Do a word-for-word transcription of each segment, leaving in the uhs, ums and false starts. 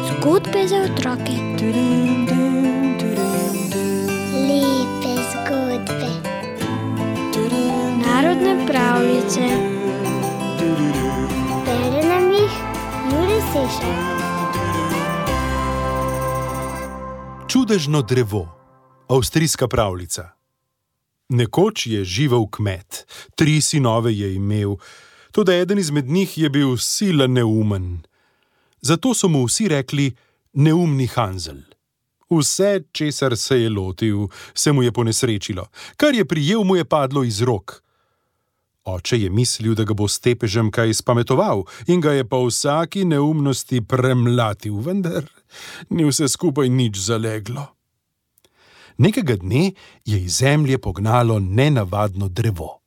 Zgodbe za otroke. Lepe zgodbe. Narodne pravljice. Bere nam jih Jure Sešar. Čudežno drevo. Avstrijska pravljica. Nekoč je živel kmet, tri sinove je imel, toda eden izmed njih je bil sila neumen. Zato so mu vsi rekli neumni Hanzel. Vse, česar se je lotil, se mu je ponesrečilo, kar je prijel, mu je padlo iz rok. Oče je mislil, da ga bo s tepežem kaj spametoval in ga je po vsaki neumnosti premlatil, vendar ni vse skupaj nič zaleglo. Nekega dne je iz zemlje pognalo nenavadno drevo.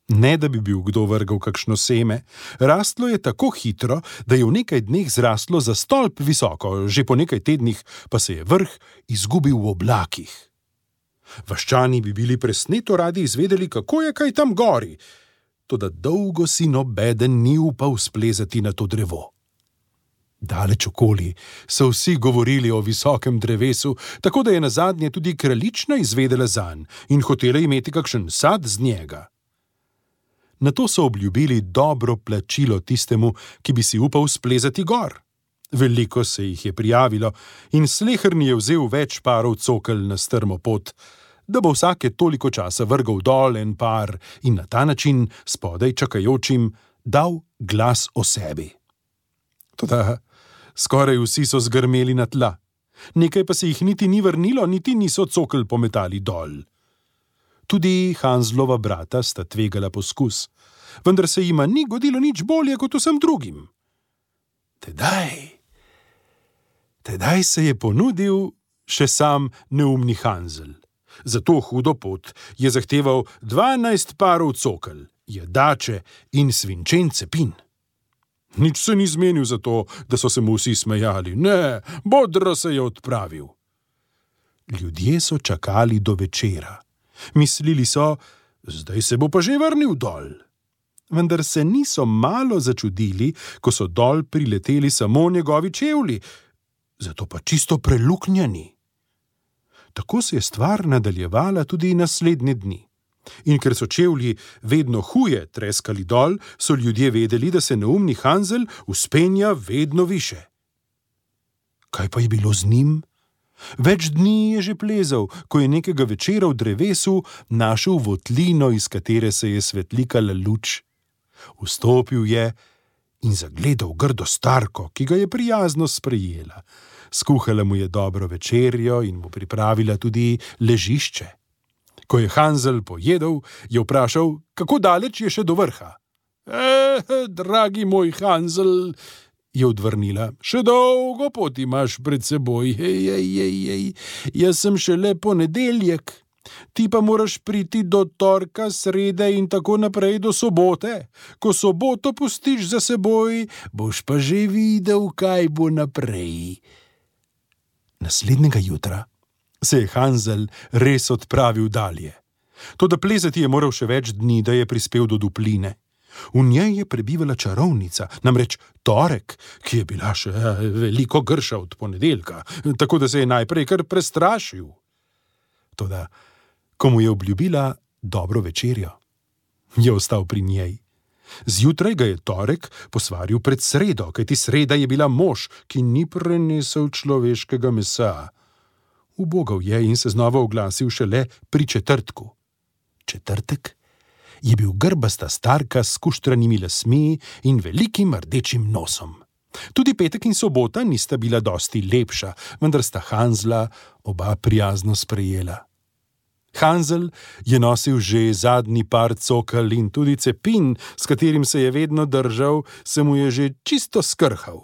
Ne, da bi bil kdo vrgel kakšno seme, rastlo je tako hitro, da je v nekaj dneh zraslo za stolp visoko, že po nekaj tednih pa se je vrh izgubil v oblakih. Vaščani bi bili presneto radi izvedeli, kako je kaj tam gori, toda dolgo si nobeden ni upal splezati na to drevo. Daleč okoli so vsi govorili o visokem drevesu, tako da je nazadnje tudi kraljična izvedela zanj in hotela imeti kakšen sad z njega. Nato so obljubili dobro plačilo tistemu, ki bi si upal splezati gor. Veliko se jih je prijavilo in sleherni je vzel več parov cokelj na strmo pot, da bo vsake toliko časa vrgal dol en par in na ta način spodaj čakajočim dal glas o sebi. Toda skoraj vsi so zgrmeli na tla, nekaj pa se jih niti ni vrnilo, niti niso cokelj pometali dol. Tudi Hanzlova brata sta tvegala poskus, vendar se jima ni godilo nič bolje kot vsem drugim. Tedaj, tedaj se je ponudil še sam neumni Hanzel. Za to hudo pot je zahteval dvanajst parov cokelj, jedače in svinčen cepin. Nič se ni zmenil za to, da so se mu vsi smejali. Ne, bodro se je odpravil. Ljudje so čakali do večera. Mislili so, zdaj se bo pa že vrnil dol. Vendar se niso malo začudili, ko so dol prileteli samo njegovi čevlji, zato pa čisto preluknjani. Tako se je stvar nadaljevala tudi naslednje dni. In ker so čevlji vedno huje treskali dol, so ljudje vedeli, da se neumni Hanzel vzpenja vedno više. Kaj pa je bilo z njim? Več dni je že plezal, ko je nekega večera v drevesu našel votlino, iz katere se je svetlikala luč. Vstopil je in zagledal grdo starko, ki ga je prijazno sprejela. Skuhala mu je dobro večerjo in mu pripravila tudi ležišče. Ko je Hanzel pojedel, je vprašal, kako daleč je še do vrha. Eh, dragi moj Hanzel, je odvrnila, še dolgo pot imaš pred seboj. Ej, ej, ej, ej. Jaz sem šele ponedeljek, ti pa moraš priti do torka, srede in tako naprej do sobote. Ko soboto pustiš za seboj, boš pa že videl, kaj bo naprej. Naslednjega jutra se je Hanzel res odpravil dalje. Toda plezati je moral še več dni, da je prispel do dupline. V njej je prebivala čarovnica, namreč torek, ki je bila še veliko grša od ponedeljka, tako da se je najprej kar prestrašil. Toda, ko mu je obljubila dobro večerjo, je ostal pri njej. Zjutraj ga je torek posvaril pred sredo, kajti sreda je bila mož, ki ni prenesel človeškega mesa. Ubogal je in se znova oglasil šele pri četrtku. Četrtek je bil grbasta starka s skuštranimi lasmi in velikim rdečim nosom. Tudi petek in sobota nista bila dosti lepša, vendar sta Hanzla oba prijazno sprejela. Hanzel je nosil že zadnji par cokelj in tudi cepin, s katerim se je vedno držal, se mu je že čisto skrhal.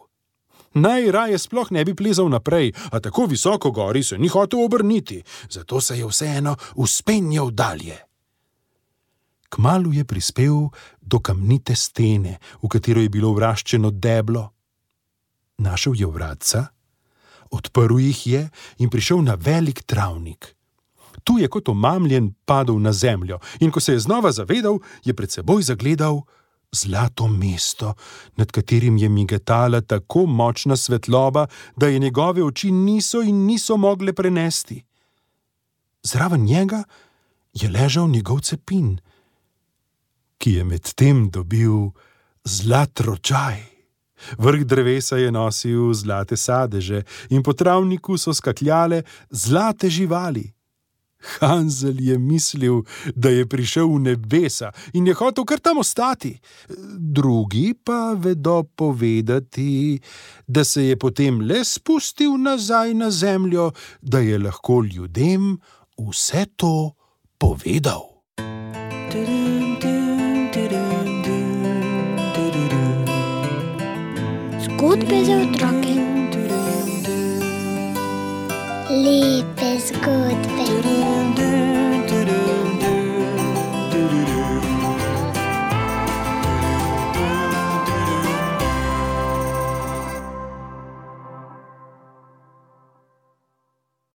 Najraje sploh ne bi plezal naprej, a tako visoko gori se ni hotel obrniti, zato se je vseeno vzpenjal dalje. Kmalu je prispel do kamnite stene, v katero je bilo vraščeno deblo. Našel je vratca, odprl jih je in prišel na velik travnik. Tu je kot omamljen padel na zemljo in ko se je znova zavedal, je pred seboj zagledal zlato mesto, nad katerim je migetala tako močna svetloba, da je njegove oči niso in niso mogle prenesti. Zraven njega je ležal njegov cepin, ki je medtem dobil zlat ročaj. Vrh drevesa je nosil zlate sadeže in po travniku so skakljale zlate živali. Hansel je mislil, da je prišel v nebesa in je hotel kar tam ostati. Drugi pa vedo povedati, da se je potem le spustil nazaj na zemljo, da je lahko ljudem vse to povedal. Zgodbe za otroke.